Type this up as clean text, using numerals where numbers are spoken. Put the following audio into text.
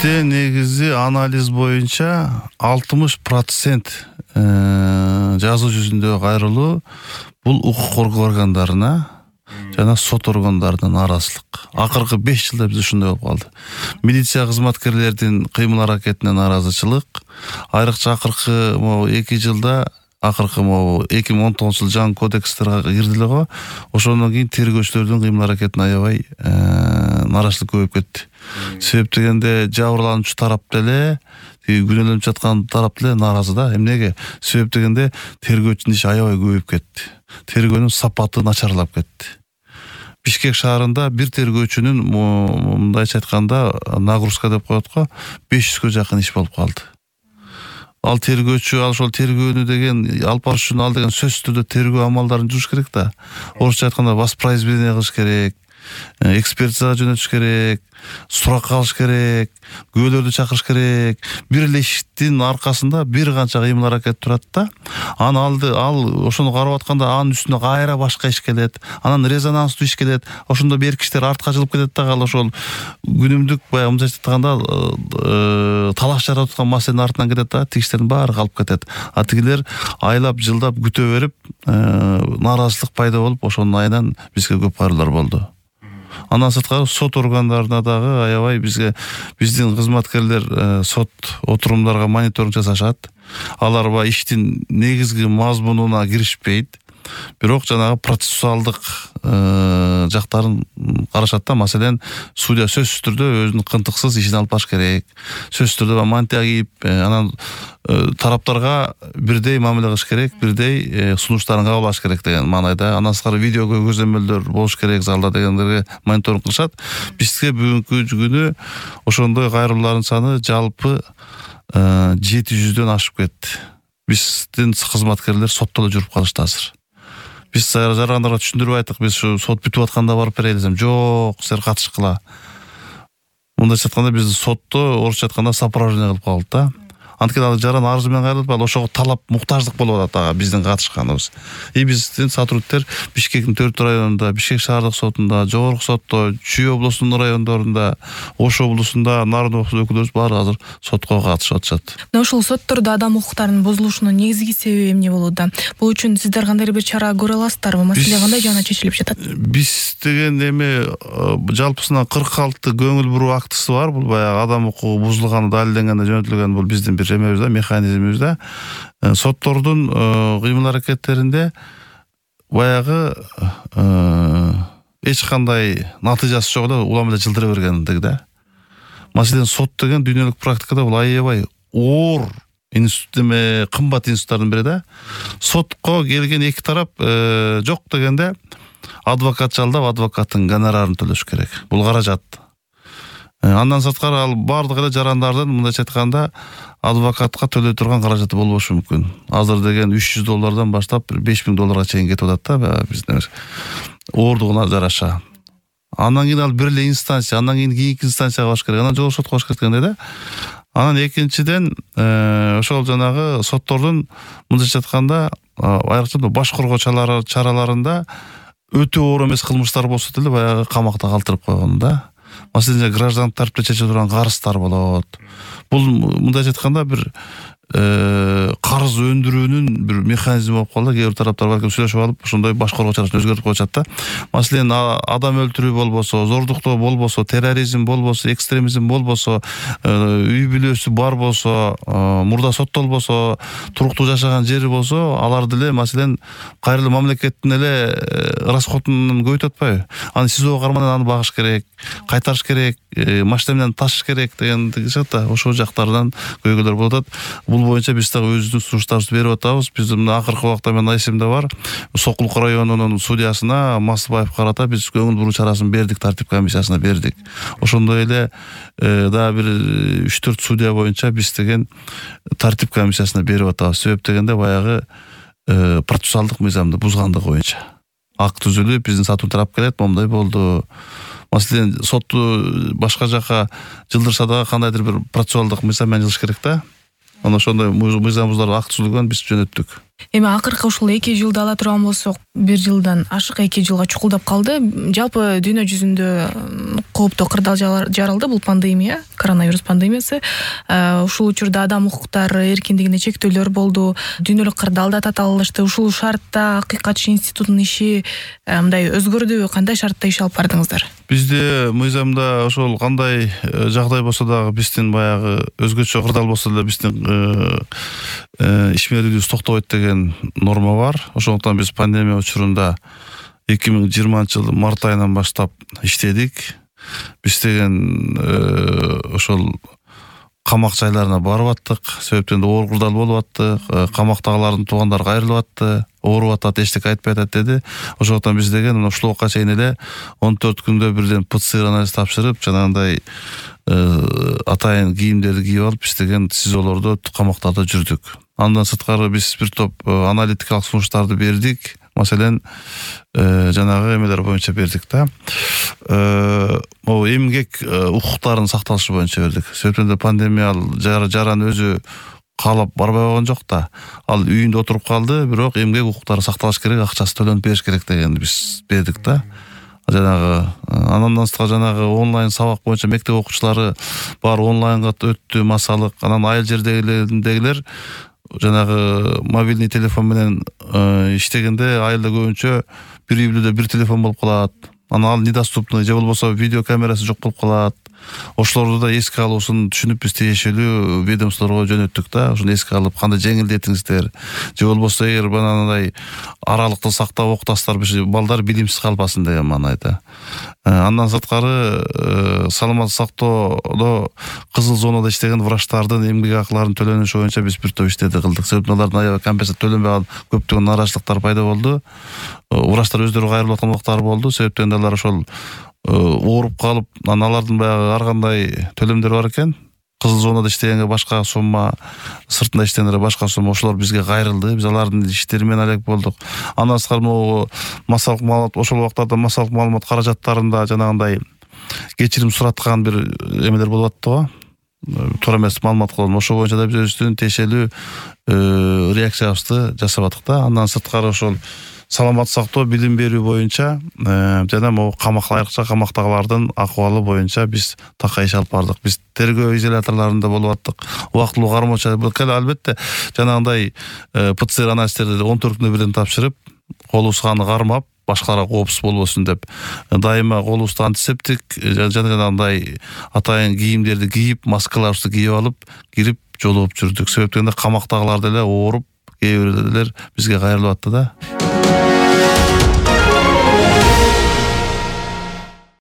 Бизде негизи анализ боюнча 60% жазуу жүзүндөгү кайрылуу бул укук коргоо органдарына жана сот органдарына нааразычылык. Акыркы 5 жылда биз ушундай болуп калды. Милиция кызматкерлердин кыймыл-аракетине нааразычылык, айрыкча акыркы 2 жылда 2019 жыл жаңы кодекстерге кирди эле го. Ошондон кийин тергөөчүлөрдүн кыймыл-аракетине аябай нааразычылык көбөйүп кетти. Себеп дегенде жабырлануучу тарап деле, күнөөлөнүп жаткан тарап деле нааразы да. Эмнеге? Себеп дегенде тергөөчүнүн иши аябай көбөйүп кетти. Тергөөнүн сапаты начарлап кетти. Бишкек шаарында бир тергөөчүнүн мындайча айтканда нагрузка деп коет го, 500гө жакын иш болуп калды. Ал тергөөчү ошол тергөөнү деген алып барыш үчүн ал деген сөзсүз түрдө тергөө амалдарын жүрүш керек да. Орусча айтканда воспроизведение кылыш керек, экспертизага жөнөтүш керек, сурак алыш керек, күбөлөрдү чакырыш керек. Бир эле иштин аркасында бир канча кыймыл-аракет турат да. Ал ошону карап атканда анын үстүнө кайра башка иш келет. Анан резонанстуу иш келет. Ошондо берки иштер артка жылып кетет да. Ал ошол күнүмдүк баягы мындайча айтканда талаш жаратып аткан маселенин артынан кетет да. Тигиштердин баары калып кетет. А тигилер айлап жылдап күтө берип нааразычылык пайда болуп, ошонун айынан бизге көп кайрылуулар болду. Андан сырткары сот органдарына дагы аябай биздин кызматкерлер сот отурумдарга мониторинг жасашат. Алар иштин негизги мазмунуна киришпейт. Бирок жанагы процессуалдык жактарын карашат да. Маселен, судья сөзсүз түрдө өзүнүн кынтыксыз ишин алып барыш керек. Сөзсүз түрдө мантия кийип, анан тараптарга бирдей мамиле кылыш керек, бирдей сунуштарын кабыл алыш керек деген маанайда. Андан сырткары видео көзөмөлдөр болуш керек залда дегендерге мониторинг кылышат. Бизге бүгүнкү күнү ошондой кайрылуулардын саны жалпы 700дөн ашып кетти. Биздин кызматкерлер сотто эле жүрүп калышты азыр. Биз жарандарга түшүндүрүп айттык, биз ушу сот бүтүп атканда барып берели десем, жок, силер катышкыла. Мындайча айтканда бизди сотто орусча айтканда сопровождение кылып калды да. Анткени ал жаран арызы менен кайрылып, ал ошого талап, муктаждык болуп атат биздин катышканыбыз. Биздин сотрудниктер Бишкектин 4 районунда, Бишкек шаардык сотунда, жогорку сотто, Чүй облусунун райондорунда, Ош облусунда нарын өкүлдөрүбүз баары азыр сотко катышып атышат. Мына ушул соттордо адам укуктарынын бузулушунун негизги себеби эмне болууда? Бул үчүн сиздер кандай бир чара көрө аласыздарбы? Маселе кандай жана чечилип жатат? Биз деген жалпысынан 46 көңүл буруу актысы бар. Бул баягы адам укугу бузулганы далилденгенде жөнөтүлгөн бул биздин бир эмебизде, механизмибизде. Соттордун кыймыл-аракеттеринде баягы эч кандай натыйжасы жок эле улам эле жылдыра бергендик да. Маселен, сот деген дүйнөлүк практикада бул аябай оор институт, кымбат институттардын бири да. Сотко келген эки тарап жок дегенде адвокат жалдап, адвокаттын гонорарын төлөш керек. Бул каражат. Андан сырткары ал бардык эле жарандардын мындайча айтканда адвокатка төлөй турган каражаты болбошу мүмкүн. Азыр деген $300 баштап $5000 чейин кетип атат да, биздин оордугуна жараша. Андан кийин ал бир эле инстанция, андан кийин кийинки инстанцияга баш керек, анан жогорку сотко баш керек дегенде да. Анан экинчиден ошол жанагы соттордун мындайча айтканда айрыкча баш коргоо чараларында өтө оор эмес кылмыштар болсо деле баягы камакта калтырып койгон да. Маселен, граждандык тартипте чече турган карыздар болот. Бул мындайча айтканда бир карыз өндүрүүнүн бир механизми болуп калды. Кээ бир тараптар балким сүйлөшүп алып, ошондой баш коргоо чарасын өзгөртүп коюшат да. Маселен, адам өлтүрүү болбосо, зордуктоо болбосо, терроризм болбосо, экстремизм болбосо, үй бүлөсү бар болсо, мурда соттолбосо, туруктуу жашаган жери болсо, алар деле маселен кайрылуу мамлекеттин эле расходун көбөйтүп атпайбы? Аны СИЗОго кармандан аны багыш керек, кайтарыш керек, машина менен ташыш керек дегендик да. Ошол жактардан көйгөйлөр болуп атат. Бул боюнча биз дагы өзүбүздүн сунуштарыбызды берип атабыз. Биз мына акыркы убакта менин эсимде бар. Сокулук районунун судьясына Масыбаев карата биз көңүл буруу чарасын бердик, тартип комиссиясына бердик. Ошондой эле дагы бир 3-4 судья боюнча биз деген тартип комиссиясына берип атабыз. Себеп дегенде баягы процессуалдык мыйзамды бузгандыгы боюнча. Акт түзүлүп, биздин сатуу тарап келет, момундай болду. Маселен, сотту башка жака жылдырса дагы кандайдыр бир процессуалдык мыйзам менен жылыш керек да. Ошондой мыйзам бузулар акт түзүлгөн, биз жөнөттүк. Эми акыркы ушул 2 жылды ала турган болсок, 1 жылдан ашык 2 жылга чукулдап калды. Жалпы дүйнө жүзүндө кооптуу кырдаал жаралды бул пандемия, коронавирус пандемиясы. Ушул учурда адам укуктары эркиндигине чектөөлөр болду. Дүйнөлүк кырдаалда татаалышты. Ушул шартта Акыйкатчы институтунун иши мындай өзгөрдүбү? Кандай шартта иш алып бардыңыздар? Бизде мыйзамда ошол кандай жагдай болсо дагы биздин баягы өзгөчө кырдаал болсо деле биздин ишмерлүүлүгүбүз токтобойт деген норма бар. Ошондуктан биз пандемия учурунда 2020 март айынан баштап иштедик. Биз деген ошол камак жайларына барып аттык. Себептен оор кырдаал болуп атты. Камактагылардын туугандары кайрылып атты. Ооруп атат, эчтеке айтпай атат деди. Ошондуктан биз деген ушул убакка чейин эле 14 күндө бирден ПЦР анализ тапшырып, жанагындай атайын кийимдерди кийип алып, биз деген СИЗОлордо, камактарда жүрдүк. Андан сырткары биз бир топ аналитикалык сунуштарды бердик. Маселен, жанагы эмелер боюнча бердик да. Эмгек укуктарынын сакталышы боюнча бердик. Себептен пандемия жаран өзү каалап барбай койгон жок да. Ал үйүндө отуруп калды, бирок эмгек укуктары сакталыш керек, акчасы төлөнүп бериш керек дегенди биз бердик да. Жанагы андан сырткары жанагы онлайн сабак боюнча мектеп окуучулары бар онлайнга өттү массалык. Анан айыл жердегилер жанагы мобильный телефон менен иштегенде айылда көбүнчө бир үй бүлөдө бир телефон болуп калат. Анан ал недоступный же болбосо видео камерасы жок болуп калат. Ошолорду да эске алуусун түшүнүп биз тиешелүү ведомстволорго жөнөттүк да. Ошону эске алып кандай жеңилдетиңиздер. Же болбосо эгер банандай аралыкты сактап окутасыздар, балдар билимсиз калбасын деген маанайда. Андан сырткары саламаттык сактоодо кызыл зонада иштеген врачтардын эмгек акыларын төлөнүшү боюнча биз бир топ иштерди кылдык. Себептен алардын аябай компенсация төлөнбөй калып көптөгөн нараачылыктар пайда болду. Врачтар өздөрү кайрылып аткан убактары болду. Себептен алар ошол ооруп калып, алардын баягы ар кандай төлөмдөр бар экен. Кызыл зонада иштегенге башка сумма, сыртында иштегенге башка сумма, ошолор бизге кайрылды. Биз алардын иштери менен алек болдук. Андан сырткары могу массалык маалымат, ошол убактарда массалык маалымат каражаттарында жанагындай кечирим сураткан бир эмелер болуп атты го. Туура эмес маалымат кылган. Ошол боюнча да биз өздүн тиешелүү реакциябызды жасап аттык да. Андан сырткары ошол саламаттык сактоо, билим берүү боюнча жана могу айрыкча камактагылардын акыбалы боюнча биз такай иш алып бардык. Биз тергөө изоляторлорунда болуп аттык. Убактылуу кармоочу албетте жанагындай ПЦР анализдерди 14 күндө бирден тапшырып, колубузга аны кармап, башкаларга коопсуз болбосун деп дайыма колубузда антисептик жанагындай атайын кийимдерди кийип, маскаларыбызды кийип алып, кирип жолугуп жүрдүк. Себептен камактагылар деле ооруп, кээ бирөөлөр бизге кайрылып атты да.